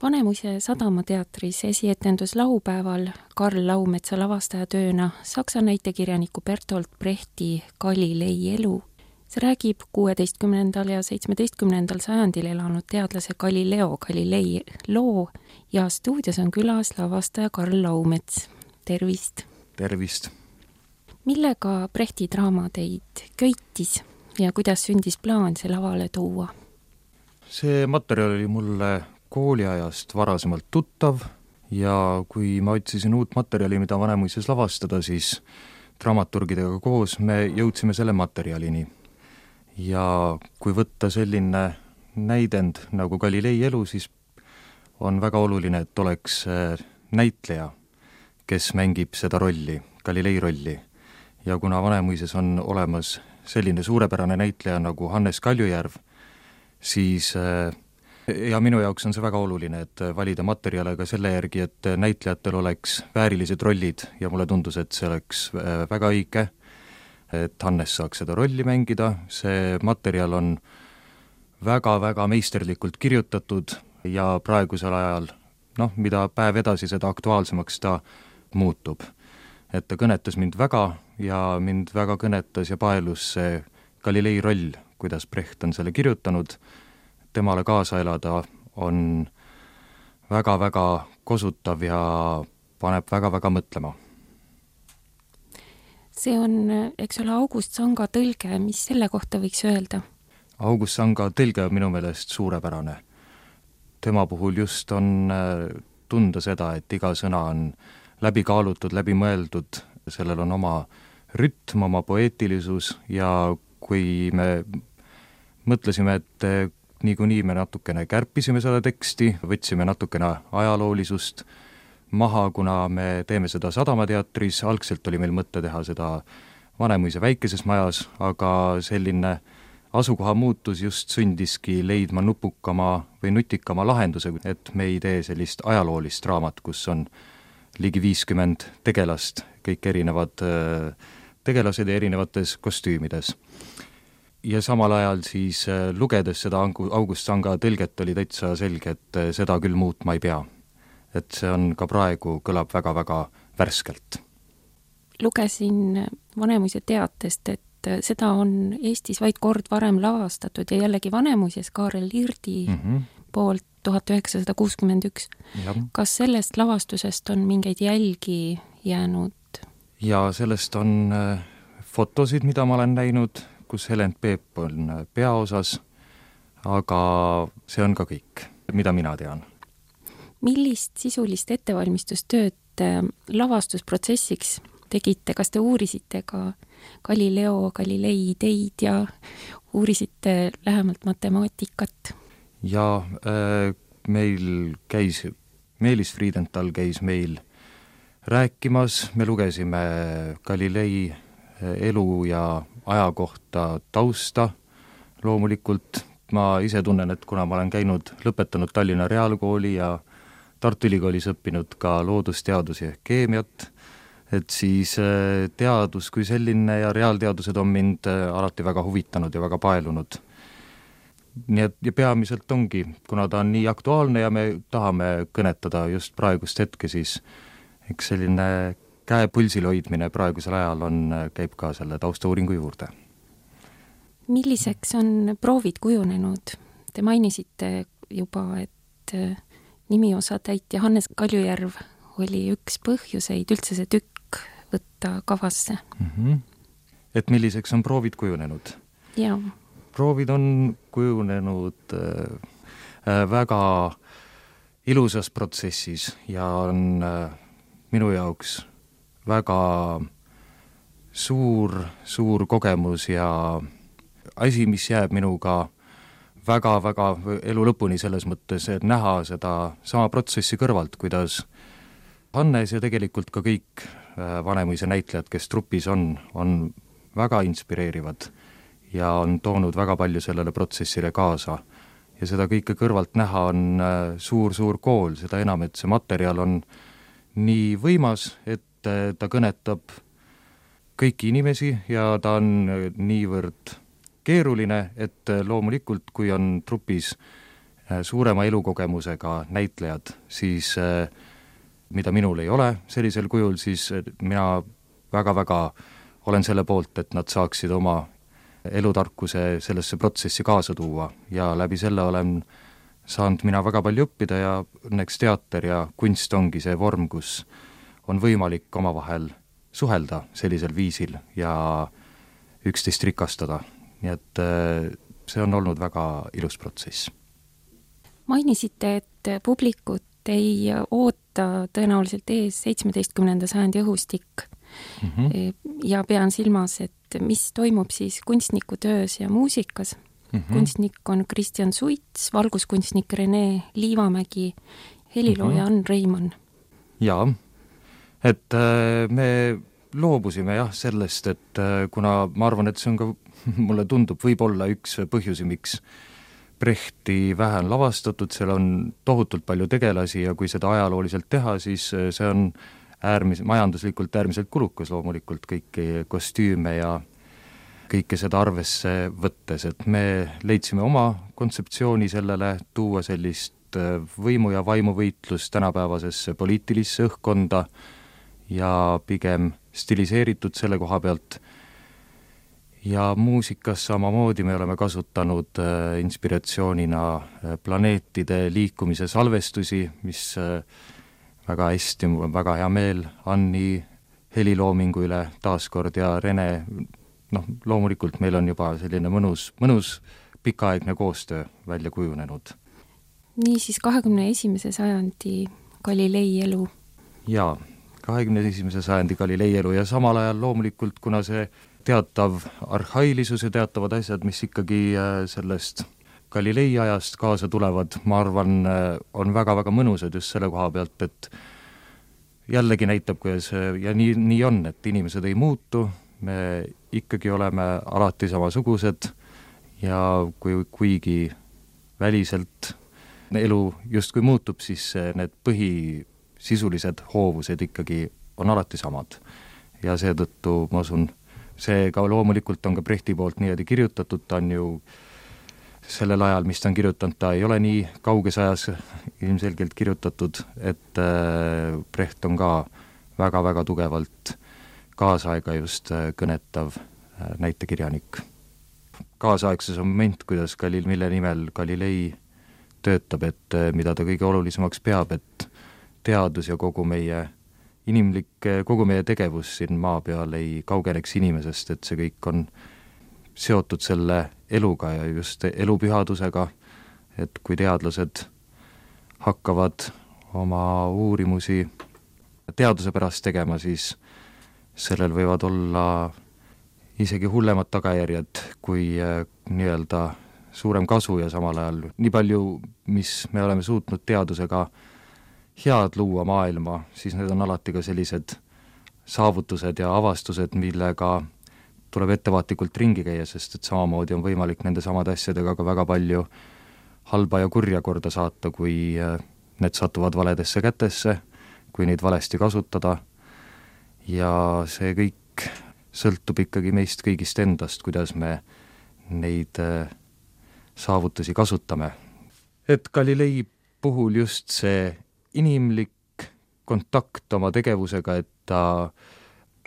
Vanemuise Sadamateatris esietendus laupäeval Karl Laumetsa lavastajatööna saksa näitekirjaniku Bertolt Brechti Galilei elu. See räägib 16. ja 17. sajandil elanud teadlase Galileo Galilei loo ja stuudios on külas lavastaja Karl Laumets. Tervist! Tervist! Millega Brechti draama teid köitis ja kuidas sündis plaan see lavale tuua? See materjal oli mulle kooliajast varasemalt tuttav ja kui ma otsisin uut materjali, mida Vanemuises lavastada, siis dramaturgidega koos me jõudsime selle materjalini. Ja kui võtta selline näidend nagu Galilei elu, siis on väga oluline, et oleks näitleja, kes mängib seda rolli, Galilei rolli. Ja kuna Vanemuises on olemas selline suurepärane näitleja nagu Hannes Kaljujärv, siis ja minu jaoks on see väga oluline, et valida materjale ka selle järgi, et näitlejatel oleks väärilised rollid ja mulle tundus, et see oleks väga õige, et Hannes saaks seda rolli mängida. See materjal on väga-väga meisterlikult kirjutatud ja praegusel ajal, mida päev edasi, seda aktuaalsemaks ta muutub. Et ta kõnetas mind väga ja mind väga kõnetas ja paelus see Galilei roll, kuidas Brecht on selle kirjutanud. Temale kaasa elada on väga-väga kosutav ja paneb väga-väga mõtlema. See on, eks ole, August Sanga tõlge, mis selle kohta võiks öelda? August Sanga tõlge on minu meelest suurepärane. Tema puhul just on tunda seda, et iga sõna on läbi kaalutud, läbi mõeldud, sellel on oma rütm, oma poeetilisus ja kui me mõtlesime, et niikuinii me natukene kärpisime seda teksti, võtsime natukene ajaloolisust maha, kuna me teeme seda Sadamateatris, algselt oli meil mõte teha seda Vanemuise väikeses majas, aga selline asukoha muutus just sundiski leidma nupukama või nutikama lahenduse, et me ei tee sellist ajaloolist raamat, kus on ligi 50 tegelast, kõik erinevad tegelased ja erinevates kostüümides. Ja samal ajal siis lugedes seda August Sanga tõlget oli täitsa selge, et seda küll muutma ei pea. Et see on ka praegu, kõlab väga-väga värskelt. Lugesin Vanemuise teatest, et seda on Eestis vaid kord varem lavastatud ja jällegi Vanemuises Kaarel Lirdi poolt 1961. Ja. Kas sellest lavastusest on mingeid jälgi jäänud? Ja sellest on fotosid, mida ma olen näinud, kus Helen Peep on peaosas, aga see on ka kõik, mida mina tean. Millist sisulist ettevalmistustööd lavastusprotsessiks tegite? Kas te uurisite ka Galileo Galilei ideid ja uurisite lähemalt matemaatikat? Ja meil käis, Meelis Friedenthal käis meil rääkimas, me lugesime Galilei elu ja aja kohta tausta. Loomulikult ma ise tunnen, et kuna ma olen lõpetanud Tallinna Reaalkooli ja Tartu Ülikoolis õppinud ka loodusteadusi ja keemiat, et siis teadus kui selline ja reaalteadused on mind alati väga huvitanud ja väga paelunud. Nii et ja peamiselt ongi, kuna ta on nii aktuaalne ja me tahame kõnetada just praegust hetke, siis eks selline käe pulsil hoidmine praegusel ajal käib ka selle taustauuringu juurde. Milliseks on proovid kujunenud? Te mainisite juba, et nimiosatäitja Hannes Kaljujärv oli üks põhjuseid üldse see tükk võtta kavasse. Et milliseks on proovid kujunenud? Jaa. Proovid on kujunenud väga ilusas protsessis ja on minu jaoks väga suur kogemus ja asi, mis jääb minuga väga-väga elu lõpuni selles mõttes, et näha seda sama protsessi kõrvalt, kuidas Hannes ja tegelikult ka kõik Vanemuise näitlejad, kes trupis on väga inspireerivad ja on toonud väga palju sellele protsessile kaasa. Ja seda kõike kõrvalt näha on suur kool, seda enam, et see materjal on nii võimas, et ta kõnetab kõiki inimesi ja ta on niivõrd keeruline, et loomulikult, kui on trupis suurema elukogemusega näitlejad, siis mida minul ei ole sellisel kujul, siis mina väga-väga olen selle poolt, et nad saaksid oma elutarkuse sellesse protsessi kaasa tuua ja läbi selle olen saanud mina väga palju õppida ja õnneks teater ja kunst ongi see vorm, kus on võimalik omavahel suhelda sellisel viisil ja üksteist rikastada. Nii et see on olnud väga ilus protsess. Mainisite, et publikut ei oota tõenäoliselt ees 17. sajandi õhustik ja pean silmas, et mis toimub siis kunstniku töös ja muusikas. Kunstnik on Kristjan Suits, valguskunstnik Rene Liivamägi, helilooja Ann Reimann. Jaa, et me loobusime sellest, et kuna ma arvan, et see on ka, mulle tundub, võib-olla üks põhjusi, miks Brechti vähe on lavastatud, seal on tohutult palju tegelasi ja kui seda ajalooliselt teha, siis see on majanduslikult äärmiselt kulukas loomulikult kõiki kostüüme ja kõike seda arvesse võttes, et me leidsime oma kontseptsiooni sellele, tuua sellist võimu- ja vaimuvõitlust tänapäevasesse poliitilisse õhkkonda ja pigem stiliseeritud selle koha pealt. Ja muusikas samamoodi me oleme kasutanud inspiratsioonina planeetide liikumise salvestusi, mis väga hästi, mul on väga hea meel Anni heliloomingu üle taaskord ja Rene, loomulikult meil on juba selline mõnus pikaaegne koostöö välja kujunenud. Niisiis 21. sajandi Galilei elu. Jaa, 21. sajandi Galilei elu ja samal ajal loomulikult, kuna see teatav arhailisus ja teatavad asjad, mis ikkagi sellest Galilei ajast kaasa tulevad, ma arvan, on väga-väga mõnusad just selle koha pealt, et jällegi näitab, kuidas ja nii on, et inimesed ei muutu, me ikkagi oleme alati samasugused ja kuigi väliselt elu justkui muutub, siis need põhisisulised hoovused ikkagi on alati samad. Ja seetõttu ma usun, see ka loomulikult on ka Brechti poolt niimoodi kirjutatud, ta on ju sellel ajal, mis ta on kirjutanud, ta ei ole nii kauges ajas ilmselgelt kirjutatud, et Brecht on ka väga-väga tugevalt kaasaega just kõnetav näitekirjanik. Kaasaegses on moment, kuidas mille nimel Galilei töötab, et mida ta kõige olulisemaks peab, et teadus ja kogu meie tegevus siin maa peal ei kaugeneks inimesest, et see kõik on seotud selle eluga ja just elupühadusega, et kui teadlased hakkavad oma uurimusi teaduse pärast tegema, siis sellel võivad olla isegi hullemad tagajärjed kui nii-öelda suurem kasu ja samal ajal nii palju, mis me oleme suutnud teadusega head luua maailma, siis need on alati ka sellised saavutused ja avastused, millega tuleb ettevaatlikult ringi käia, sest et samamoodi on võimalik nende samade asjadega ka väga palju halba ja kurja korda saata, kui need satuvad valedesse kätesse, kui neid valesti kasutada ja see kõik sõltub ikkagi meist kõigist endast, kuidas me neid saavutusi kasutame. Et Galilei puhul just see inimlik kontakt oma tegevusega,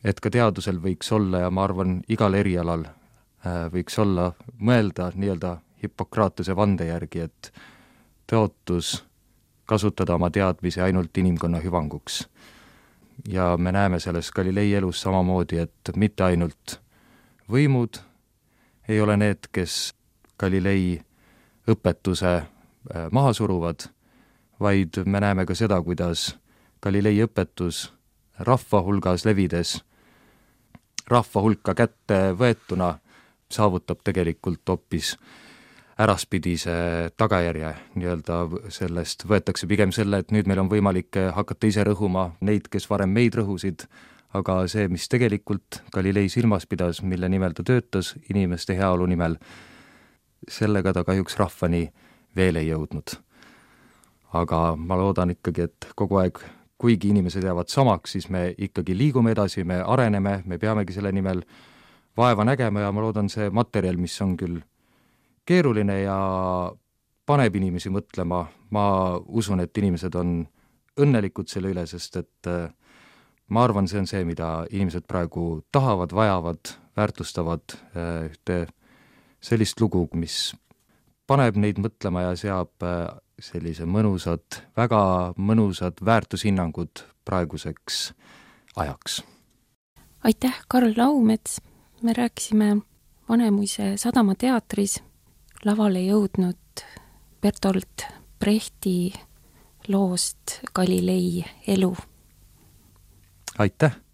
et ka teadusel võiks olla ja ma arvan, igal erialal võiks olla mõelda nii-öelda Hippokratese vande järgi, et tõotus kasutada oma teadmisi ainult inimkonna hüvanguks. Ja me näeme selles Galilei elus samamoodi, et mitte ainult võimud ei ole need, kes Galilei õpetuse maha suruvad, vaid me näeme ka seda, kuidas Galilei õpetus rahva hulgas levides, rahva hulka kätte võetuna saavutab tegelikult hoopis äraspidise tagajärje, nii-öelda sellest võetakse pigem selle, et nüüd meil on võimalik hakata ise rõhuma neid, kes varem meid rõhusid, aga see, mis tegelikult Galilei silmas pidas, mille nimel ta töötas, inimeste heaolu nimel, sellega ta kahjuks rahvani veel ei jõudnud. Aga ma loodan ikkagi, et kogu aeg, kuigi inimesed jäävad samaks, siis me ikkagi liigume edasi, me areneme, me peamegi selle nimel vaeva nägema ja ma loodan see materjal, mis on küll keeruline ja paneb inimesi mõtlema, ma usun, et inimesed on õnnelikud selle üle, sest et ma arvan, see on see, mida inimesed praegu tahavad, vajavad, väärtustavad, ühte sellist lugu, mis paneb neid mõtlema ja seab sellise väga mõnusad väärtushinnangud praeguseks ajaks. Aitäh, Karl Laumets! Me rääkisime Vanemuise sadamateatris lavale jõudnud Bertolt Brechti loost Galilei elu. Aitäh!